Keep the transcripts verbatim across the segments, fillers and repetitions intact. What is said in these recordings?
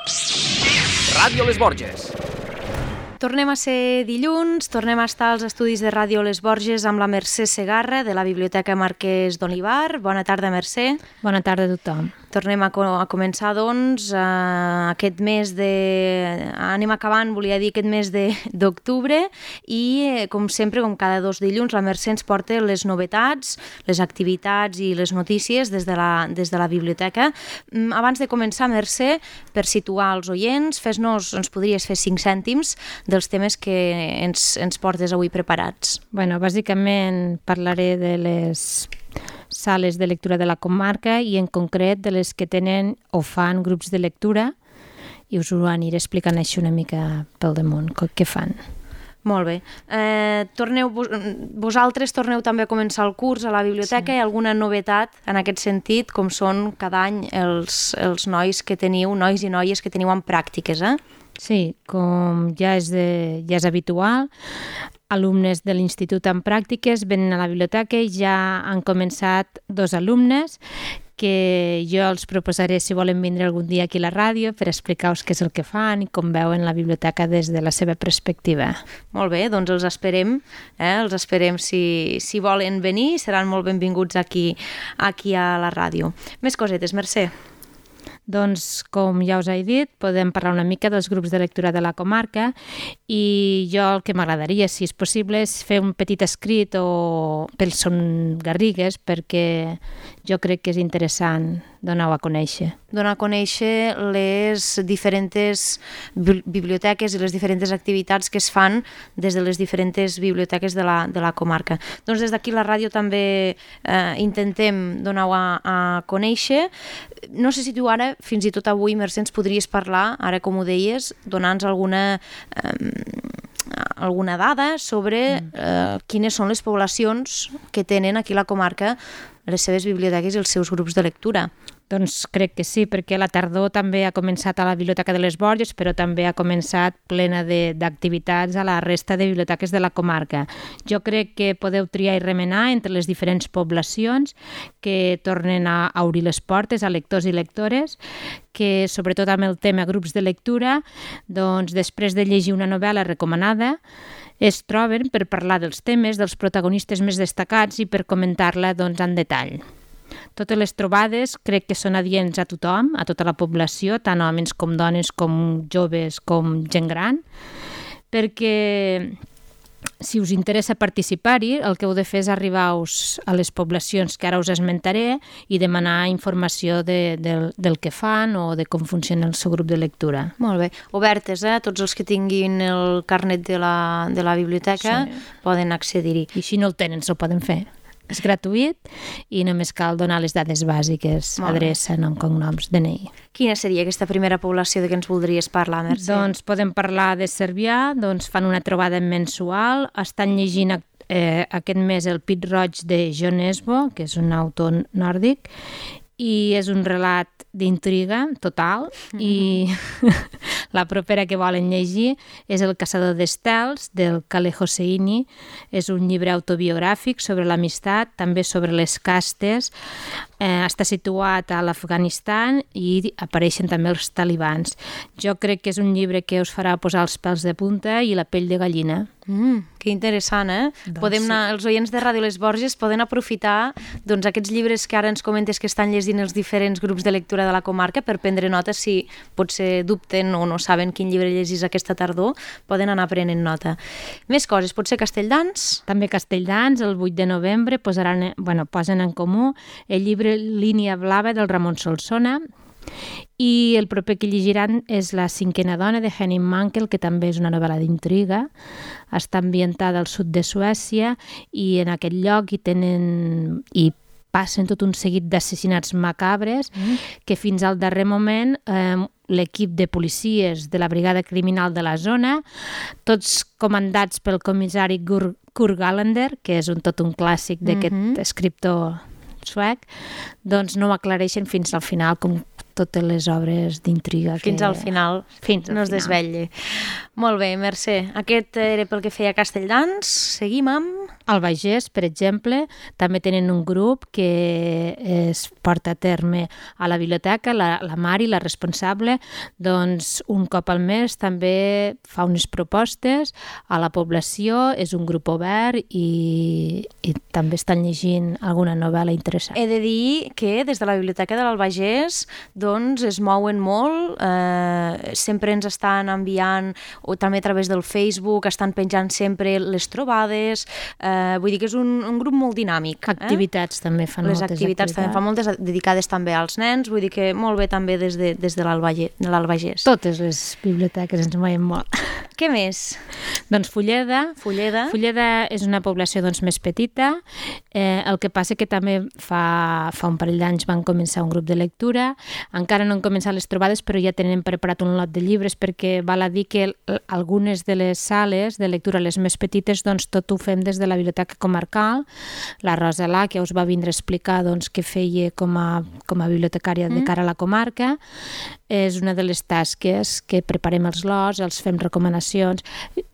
Ràdio Les Borges. Tornem a ser dilluns, tornem a estar als estudis de Ràdio Les Borges amb la Mercè Segarra de la Biblioteca Marquès d'Olivar. Bona tarda, Mercè. Bona tarda a tothom. Tornem a, co a començar, doncs, eh, aquest mes de... Anem acabant, volia dir, aquest mes d'octubre i, eh, com sempre, com cada dos dilluns, la Mercè ens porta les novetats, les activitats i les notícies des de la, des de la biblioteca. Abans de començar, Mercè, per situar els oients, fes-nos, ens podries fer cinc cèntims dels temes que ens, ens portes avui preparats. Bueno, bàsicament parlaré de les sales de lectura de la comarca i en concret de les que tenen o fan grups de lectura i us ho aniré explicant així una mica pel damunt, què fan. Molt bé. Eh, torneu, vosaltres torneu també a començar el curs a la biblioteca. Sí. Hi ha alguna novetat en aquest sentit, com són cada any els, els nois que teniu, nois i noies que teniu en pràctiques, eh? Sí, com ja és, de, ja és habitual, alumnes de l'Institut en pràctiques venen a la biblioteca i ja han començat dos alumnes que jo els proposaré si volen vindre algun dia aquí a la ràdio per explicar-vos què és el que fan i com veuen la biblioteca des de la seva perspectiva. Molt bé, doncs els esperem, eh? els esperem si, si volen venir, seran molt benvinguts aquí, aquí a la ràdio. Més cosetes, Mercè. Doncs, com ja us he dit, podem parlar una mica dels grups de lectura de la comarca i jo el que m'agradaria, si és possible, és fer un petit escrit o pels Son Garrigues perquè jo crec que és interessant donar-ho a conèixer. Donar a conèixer les diferents biblioteques i les diferents activitats que es fan des de les diferents biblioteques de la, de la comarca. Doncs des d'aquí la ràdio també eh, intentem donar-ho a, a conèixer. No sé si tu ara, fins i tot avui, Mercè, ens podries parlar, ara com ho deies, donar-nos alguna... Eh, alguna dada sobre eh, quines són les poblacions que tenen aquí a la comarca les seves biblioteques i els seus grups de lectura. Doncs crec que sí, perquè la tardor també ha començat a la Biblioteca de les Borges, però també ha començat plena d'activitats a la resta de biblioteques de la comarca. Jo crec que podeu triar i remenar entre les diferents poblacions que tornen a obrir les portes a lectors i lectores, que sobretot amb el tema grups de lectura, doncs després de llegir una novel·la recomanada, es troben per parlar dels temes, dels protagonistes més destacats i per comentar-la doncs, en detall. Totes les trobades crec que són adients a tothom, a tota la població, tant homes com dones, com joves, com gent gran, perquè si us interessa participar-hi, el que heu de fer és arribar-vos a les poblacions que ara us esmentaré i demanar informació de, de, del que fan o de com funciona el seu grup de lectura. Molt bé. Obertes, eh? Tots els que tinguin el carnet de la, de la biblioteca sí. Poden accedir-hi. I si no el tenen, s'ho poden fer. És gratuït i només cal donar les dades bàsiques, adreça, nom, cognoms, D N I. Quina seria aquesta primera població de què ens voldries parlar, Mercè? Doncs podem parlar de Cervià, doncs fan una trobada mensual, estan llegint eh, aquest mes el Pit Roig de John Esbo, que és un autor nòrdic, i és un relat d'intriga total mm-hmm. i la propera que volen llegir és El caçador d'estels, del Khaled Hosseini. És un llibre autobiogràfic sobre l'amistat, també sobre les castes. Eh, està situat a l'Afganistan i apareixen també els talibans. Jo crec que és un llibre que us farà posar els pèls de punta i la pell de gallina. Mm, que interessant, eh? Doncs podem anar, sí. Els oients de Ràdio Les Borges poden aprofitar doncs, aquests llibres que ara ens comentes que estan llegint els diferents grups de lectura de la comarca per prendre nota si potser dubten o no saben quin llibre llegis aquesta tardor, poden anar prenent nota. Més coses, potser Castelldans? També Castelldans, el vuit de novembre posaran, bueno, posen en comú el llibre Línia Blava del Ramon Solsona i el proper que llegiran és La cinquena dona de Henning Mankell, que també és una novel·la d'intriga. Està ambientada al sud de Suècia i en aquest lloc hi tenen i passen tot un seguit d'assassinats macabres mm. que fins al darrer moment eh, l'equip de policies de la brigada criminal de la zona, tots comandats pel comissari Kurt Gallander, que és un, tot un clàssic d'aquest mm-hmm. escriptor suec, doncs no ho aclareixen fins al final, com totes les obres d'intriga. Fins que... al final, fins no es desvetlli. Molt bé, Mercè. Aquest era pel que feia Castelldans. Seguim amb... Al Bages, per exemple, també tenen un grup que es porta a terme a la biblioteca, la, la Mari, la responsable, doncs un cop al mes també fa unes propostes a la població, és un grup obert i, i també estan llegint alguna novel·la interessant. He de dir que des de la Biblioteca de l'Albagés doncs es mouen molt, eh, sempre ens estan enviant, o també a través del Facebook, estan penjant sempre les trobades, eh, vull dir que és un, un grup molt dinàmic. Activitats eh? també fan les moltes activitats. Les activitats també fan moltes, dedicades també als nens, vull dir que molt bé també des de, des de l'Albagés. Totes les biblioteques ens mouen molt. Què més? Doncs Fulleda. Fulleda. Fulleda és una població doncs, més petita, eh, el que passa que també fa, fa un parell d'anys van començar un grup de lectura, encara no han començat les trobades però ja tenen preparat un lot de llibres perquè val a dir que algunes de les sales de lectura, les més petites, doncs tot ho fem des de la Biblioteca Comarcal. La Rosa Lá, que us va vindre a explicar doncs, què feia com a, com a bibliotecària mm. de cara a la comarca, és una de les tasques que preparem els lots, els fem recomanacions.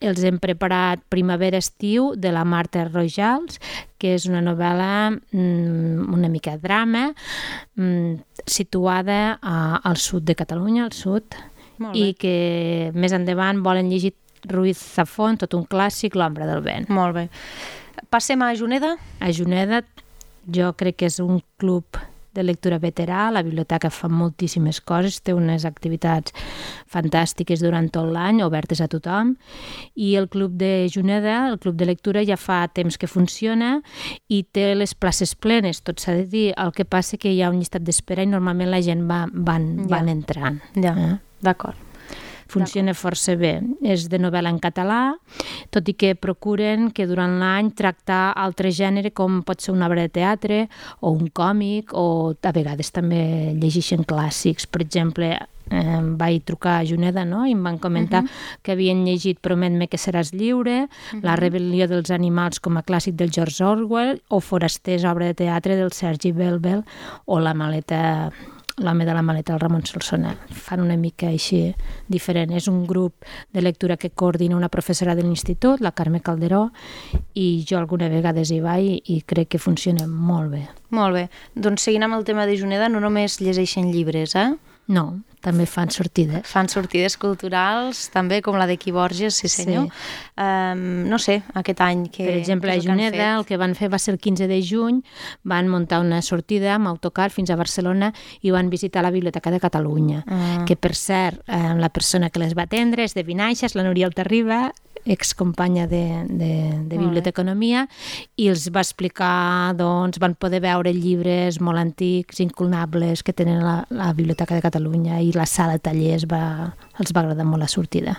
Els hem preparat Primavera-estiu de la Marta Rojals, que és una novel·la mmm, una mica drama, mmm, situada a, al sud de Catalunya, al sud, i que més endavant volen llegir Ruiz Zafón, tot un clàssic, L'ombra del vent. Molt bé. Passem a Juneda. A Juneda jo crec que és un club de lectura veterà, la biblioteca fa moltíssimes coses, té unes activitats fantàstiques durant tot l'any, obertes a tothom, i el club de Juneda, el club de lectura, ja fa temps que funciona i té les places plenes, tot s'ha de dir, el que passa que hi ha un llistat d'espera i normalment la gent va, van, ja. van entrant. Ja, eh? d'acord. Funciona força bé. És de novel·la en català, tot i que procuren que durant l'any tractar altre gènere com pot ser una obra de teatre o un còmic, o a vegades també llegeixen clàssics. Per exemple, eh, vaig trucar a Juneda, no?, i em van comentar uh-huh. que havien llegit Promet-me que seràs lliure, uh-huh. La rebel·lió dels animals com a clàssic del George Orwell, o Forasters, obra de teatre del Sergi Belbel, o La maleta... L'home de la maleta, el Ramon Solsona. Fan una mica així diferent. És un grup de lectura que coordina una professora de l'institut, la Carme Calderó, i jo alguna vegada hi vaig i crec que funciona molt bé. Molt bé. Doncs seguint amb el tema de Juneda, no només llegeixen llibres, eh? No, també fan sortides. Fan sortides culturals, també, com la de Qui Borges, sí senyor. Sí. Um, no sé, aquest any... Que, per exemple, a Juneda el que van fer va ser el quinze de juny, van muntar una sortida amb autocar fins a Barcelona i van visitar la Biblioteca de Catalunya, uh. que per cert, eh, la persona que les va atendre és de Vinaixa, la Núria Altarriba, excompanya de, de, de Biblioteconomia, i els va explicar, doncs, van poder veure llibres molt antics, incunables, que tenen la, la Biblioteca de Catalunya, i la sala de tallers va, els va agradar molt la sortida.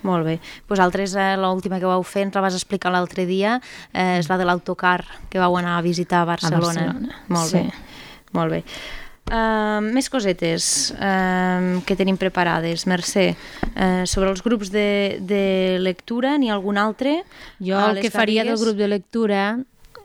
Molt bé. Vosaltres, eh, l'última que vau fer, ens la vas explicar l'altre dia, eh, és la de l'autocar que vau anar a visitar a Barcelona. A Barcelona, molt sí. bé. Molt bé. Uh, més cosetes uh, que tenim preparades, Mercè. Uh, sobre els grups de, de lectura, n'hi ha algun altre? Jo el que faria del grup de lectura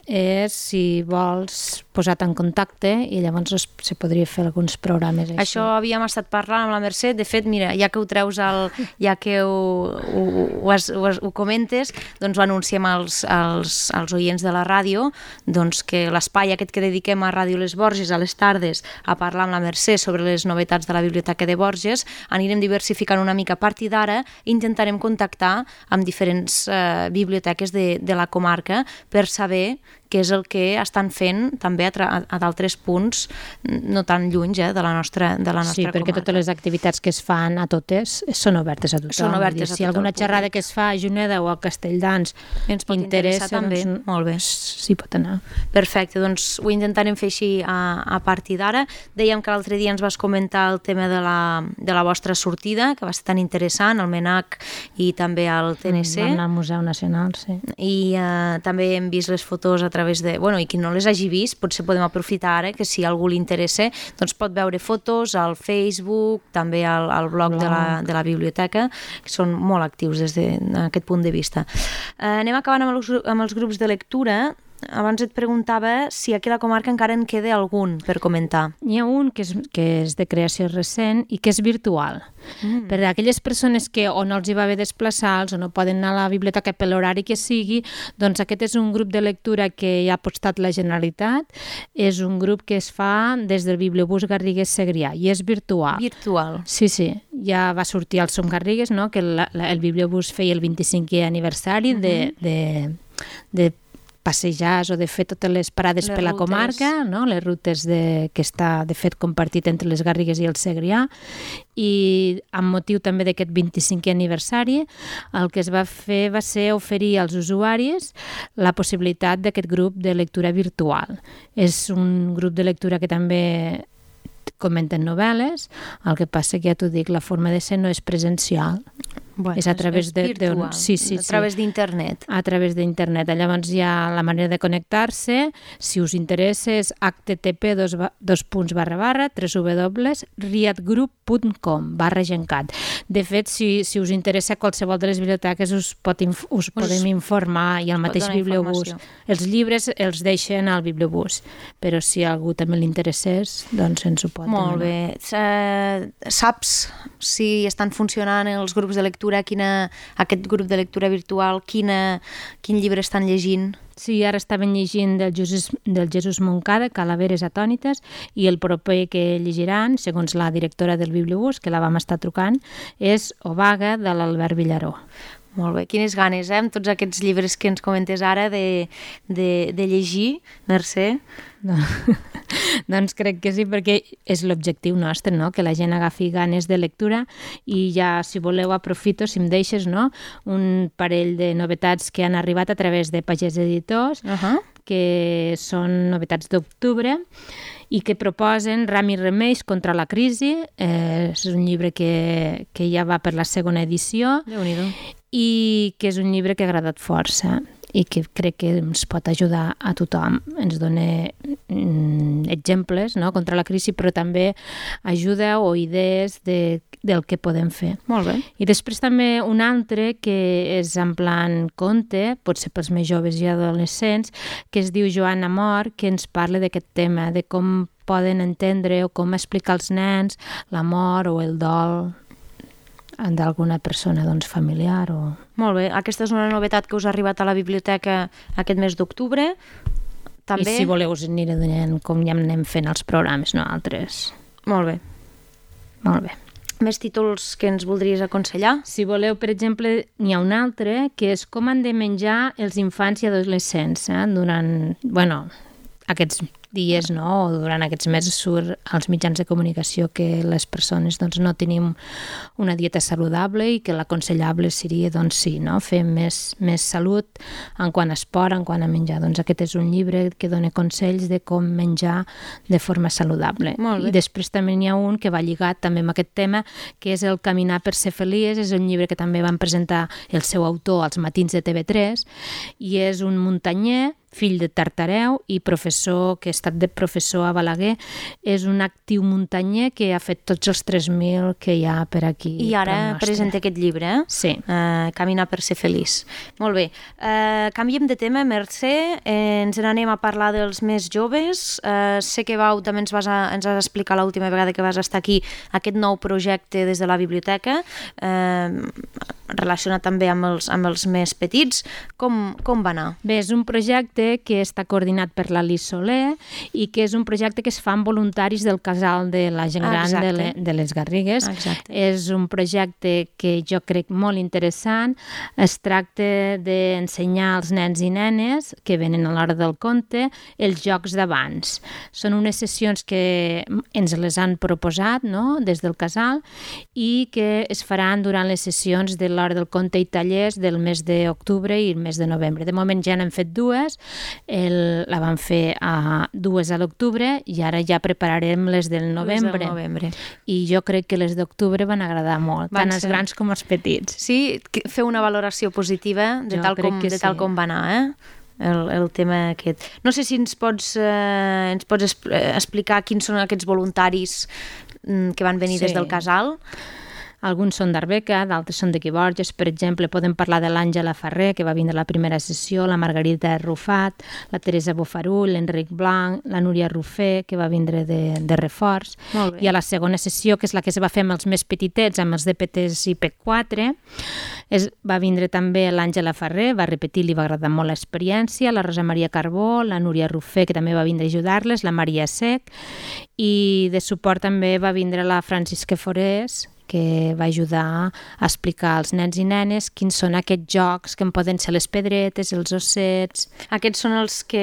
és, si vols, posar-te en contacte i llavors es, se podria fer alguns programes així. Això havíem estat parlant amb la Mercè. De fet, mira, ja que ho treus, al, ja que ho, ho, ho, has, ho, has, ho comentes, doncs ho anunciem als, als, als oients de la ràdio, doncs que l'espai aquest que dediquem a Ràdio Les Borges a les tardes a parlar amb la Mercè sobre les novetats de la Biblioteca de Borges, anirem diversificant una mica. A partir d'ara intentarem contactar amb diferents eh, biblioteques de, de la comarca per saber què és el que estan fent també a, a d'altres punts no tan lluny eh, de la nostra, de la nostra sí, comarca. Sí, perquè totes les activitats que es fan a totes són obertes a tothom. Són obertes a si alguna xerrada que es fa a Juneda o a Castelldans ens pot interessa, també. Doncs, molt bé. S'hi pot anar. Perfecte, doncs ho intentarem fer així a, a partir d'ara. Dèiem que l'altre dia ens vas comentar el tema de la, de la vostra sortida, que va ser tan interessant, al MENAC i també al T N C. Vam anar al Museu Nacional, sí. I eh, també hem vist les fotos a través de... Bueno, i qui no les hagi vist, potser podem aprofitar ara, que si a algú li interessa, doncs pot veure fotos al Facebook, també al, al blog de la, de la biblioteca, que són molt actius des d'aquest punt de vista. Eh, anem acabant amb els, amb els grups de lectura. abans et preguntava si aquí a la comarca encara en queda algun per comentar. N'hi ha un que és, que és de creació recent i que és virtual. Mm. Per a aquelles persones que o no els hi va bé desplaçar-los o no poden anar a la biblioteca per l'horari que sigui, doncs aquest és un grup de lectura que hi ha apostat la Generalitat. És un grup que es fa des del Bibliobús Garrigues Segrià i és virtual. Virtual. Sí, sí. Ja va sortir el Som Garrigues, no? Que la, la, el Bibliobús feia el vint-i-cinquè aniversari uh-huh. de, de, de passejar o de fer totes les parades les per la rutes. Comarca, no? Les rutes de, que està de fet compartit entre les Garrigues i el Segrià, i amb motiu també d'aquest vint-i-cinquè aniversari el que es va fer va ser oferir als usuaris la possibilitat d'aquest grup de lectura virtual. És un grup de lectura que també comenten novel·les, el que passa que ja t'ho dic, la forma de ser no és presencial. Bueno, és a través és de, virtual, de, sí, sí, a través sí. d'internet. A través d'internet. Llavors hi ha la manera de connectar-se. Si us interessa és h t t p dos punts barra barra w w w punt riatgroup punt com barra gencat. De fet, si, si us interessa qualsevol de les biblioteques us, pot inf us, us podem informar i el mateix bibliobús. Els llibres els deixen al bibliobús, però si a algú també li interessés, doncs ens ho pot Molt demanar. bé. Saps si estan funcionant els grups de lectura, quina, aquest grup de lectura virtual, quina, quin llibre estan llegint? Sí, ara estaven llegint del Jesús, del Jesús Moncada, Calaveres atònites, i el proper que llegiran, segons la directora del Bibliobús, que la vam estar trucant, és Obaga, de l'Albert Villaró. Molt bé, quines ganes, eh, amb tots aquests llibres que ens comentes ara de, de, de llegir, Mercè? No. Doncs crec que sí, perquè és l'objectiu nostre, no? Que la gent agafi ganes de lectura, i ja, si voleu, aprofito, si em deixes, no? Un parell de novetats que han arribat a través de Pagès Editors, uh-huh. que són novetats d'octubre, i que proposen Ram i Remeis contra la crisi. Eh, és un llibre que, que ja va per la segona edició. Déu-n'hi-do. I que és un llibre que ha agradat força i que crec que ens pot ajudar a tothom. Ens dona mm, exemples, no?, contra la crisi, però també ajuda o idees de, del que podem fer. Molt bé. I després també un altre que és en plan conte, potser pels més joves i adolescents, que es diu Joan Amor, que ens parla d'aquest tema, de com poden entendre o com explicar als nens l'amor o el dol d'alguna persona, doncs, familiar o... Molt bé, aquesta és una novetat que us ha arribat a la biblioteca aquest mes d'octubre. També... I si voleu us aniré donant com ja anem fent els programes, no altres. Molt bé. Molt bé. Més títols que ens voldries aconsellar? Si voleu, per exemple, n'hi ha un altre, que és com han de menjar els infants i adolescents, eh? Durant, bueno, aquests dies, no?, o durant aquests mesos surt als mitjans de comunicació que les persones, doncs, no tenim una dieta saludable i que l'aconsellable seria, doncs, sí, no?, fer més, més salut en quant a esport, en quant a menjar. Doncs aquest és un llibre que dona consells de com menjar de forma saludable. I després també n'hi ha un que va lligat també amb aquest tema, que és El caminar per ser feliç. És un llibre que també van presentar el seu autor als matins de T V tres, i és un muntanyer, fill de Tartareu i professor, que ha estat de professor a Balaguer. És un actiu muntanyer que ha fet tots els tres mil que hi ha per aquí. I ara presenta aquest llibre, eh? Sí. Uh, Caminar per ser feliç. Molt bé. Uh, canviem de tema, Mercè. Eh, ens n'anem a parlar dels més joves. Uh, sé que vau, també ens vas, a, ens vas explicar l'última vegada que vas estar aquí, aquest nou projecte des de la biblioteca, uh, relacionat també amb els, amb els més petits. Com, com va anar? Bé, és un projecte que està coordinat per l'Alice Soler i que és un projecte que es fa amb voluntaris del casal de la gent gran de, le, de les Garrigues. Exacte. És un projecte que jo crec molt interessant. Es tracta d'ensenyar als nens i nenes que venen a l'hora del conte els jocs d'abans. Són unes sessions que ens les han proposat, no?, des del casal, i que es faran durant les sessions de l'hora del conte i tallers del mes d'octubre i el mes de novembre. De moment ja n'hem fet dues. El, la vam fer a dues a l'octubre i ara ja prepararem les del novembre. Les del novembre. I jo crec que les d'octubre van agradar molt, van tant els ser... grans com els petits. Sí, fer una valoració positiva de, tal com, de sí. tal com va anar, eh? El, el tema aquest. No sé si ens pots, eh, ens pots explicar quins són aquests voluntaris que van venir sí. des del casal. Alguns són d'Arbeca, d'altres són d'aquí Borges. Per exemple, podem parlar de l'Àngela Ferrer, que va vindre a la primera sessió, la Margarita Rufat, la Teresa Bofarull, l'Enric Blanc, la Núria Rufé, que va vindre de, de reforç. I a la segona sessió, que és la que es va fer amb els més petitets, amb els D P Ts i P quatre, es, va vindre també l'Àngela Ferrer, va repetir, li va agradar molt l'experiència, la Rosa Maria Carbó, la Núria Rufé, que també va vindre a ajudar-les, la Maria Sec, i de suport també va vindre la Francisca Forés, que va ajudar a explicar als nens i nenes quins són aquests jocs que en poden ser les pedretes, els ossets... Aquests són els que,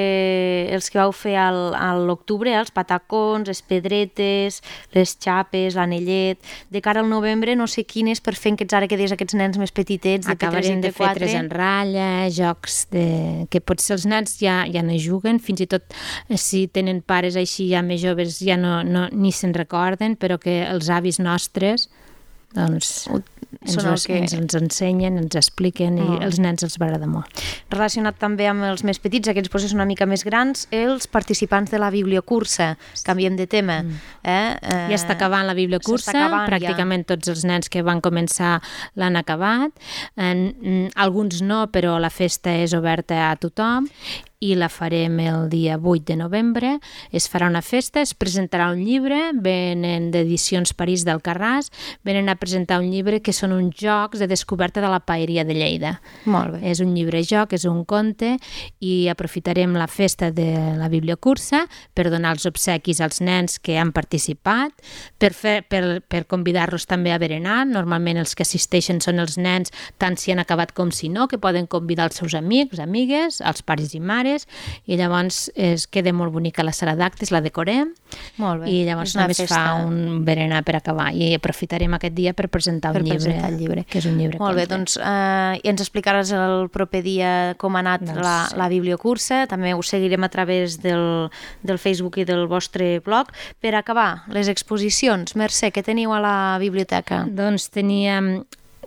els que vau fer al, a l'octubre, els patacons, les pedretes, les xapes, l'anellet... De cara al novembre no sé quines per fer aquests, ara que deies, aquests nens més petitets, de P tres i P quatre. Acabarem de fer tres en ratlla, jocs de... que potser els nens ja, ja no juguen, fins i tot si tenen pares així ja més joves ja no, no, ni se'n recorden, però que els avis nostres doncs ens, els, que... ens, ens ensenyen, ens expliquen i oh. els nens els va agradar molt. Relacionat també amb els més petits, aquests processos una mica més grans, els participants de la bibliocursa, canviem de tema. Mm. Eh? Eh, ja està acabant la bibliocursa, acabant, pràcticament ja. Tots els nens que van començar l'han acabat, en, alguns no, però la festa és oberta a tothom i la farem el dia vuit de novembre. Es farà una festa, es presentarà un llibre, venen d'Edicions París d'Alcarràs, venen a presentar un llibre que són uns jocs de descoberta de la paeria de Lleida. Molt bé. És un llibre-joc, és un conte, i aprofitarem la festa de la bibliocursa per donar els obsequis als nens que han participat, per, fer, per, per convidar-los també a berenar. Normalment els que assisteixen són els nens, tant si han acabat com si no, que poden convidar els seus amics, amigues, els pares i mares, i llavors es queda molt bonica la sala d'actes, la decorem molt bé. I llavors només festa. Fa un berenar per acabar i aprofitarem aquest dia per presentar per un llibre, presentar el llibre, que és un llibre molt conte. Bé, doncs eh, i ens explicaràs el proper dia com ha anat doncs, la, sí. la bibliocursa, també ho seguirem a través del, del Facebook i del vostre blog. Per acabar, les exposicions, Mercè, què teniu a la biblioteca? Doncs teníem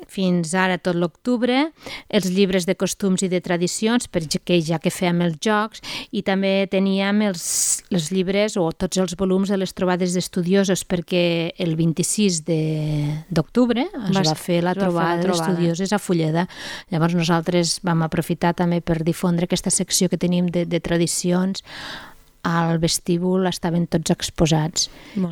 fins ara tot l'octubre, els llibres de costums i de tradicions, perquè ja que fèiem els jocs, i també teníem els, els llibres o tots els volums de les trobades d'estudiosos, perquè el vint-i-sis d'octubre es va, va fer la trobada, trobada d'estudioses a Fulleda. Llavors nosaltres vam aprofitar també per difondre aquesta secció que tenim de, de tradicions. Al vestíbul estaven tots exposats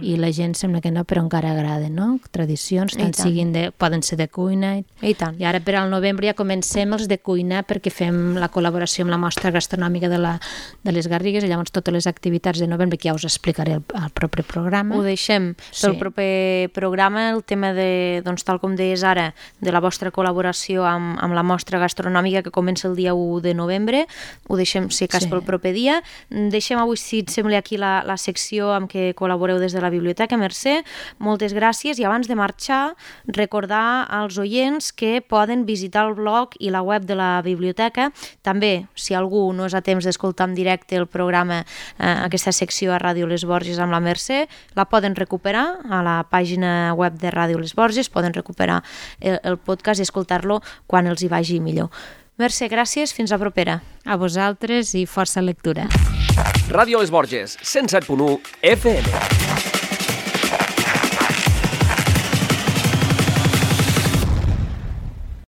i la gent sembla que no, però encara agrada, no? Tradicions, tant, tant. Siguin de, poden ser de cuina i, I tant. I ara per al novembre ja comencem els de cuina perquè fem la col·laboració amb la mostra gastronòmica de, la, de les Garrigues i llavors totes les activitats de novembre que ja us explicaré al, al proper programa. Ho deixem pel sí. proper programa, el tema de, doncs tal com deies ara, de la vostra col·laboració amb, amb la mostra gastronòmica que comença el dia u de novembre, ho deixem si cas sí. pel proper dia. Deixem avui, si et sembla, aquí la, la secció amb què col·laboreu des de la biblioteca. Mercè, moltes gràcies, i abans de marxar recordar als oients que poden visitar el blog i la web de la biblioteca. També, si algú no és a temps d'escoltar en directe el programa, eh, aquesta secció a Ràdio Les Borges amb la Mercè, la poden recuperar a la pàgina web de Ràdio Les Borges, poden recuperar el, el podcast i escoltar-lo quan els hi vagi millor. Mercè, gràcies, fins la propera. A vosaltres i força lectura. Ràdio Les Borges, cent set punt u F M.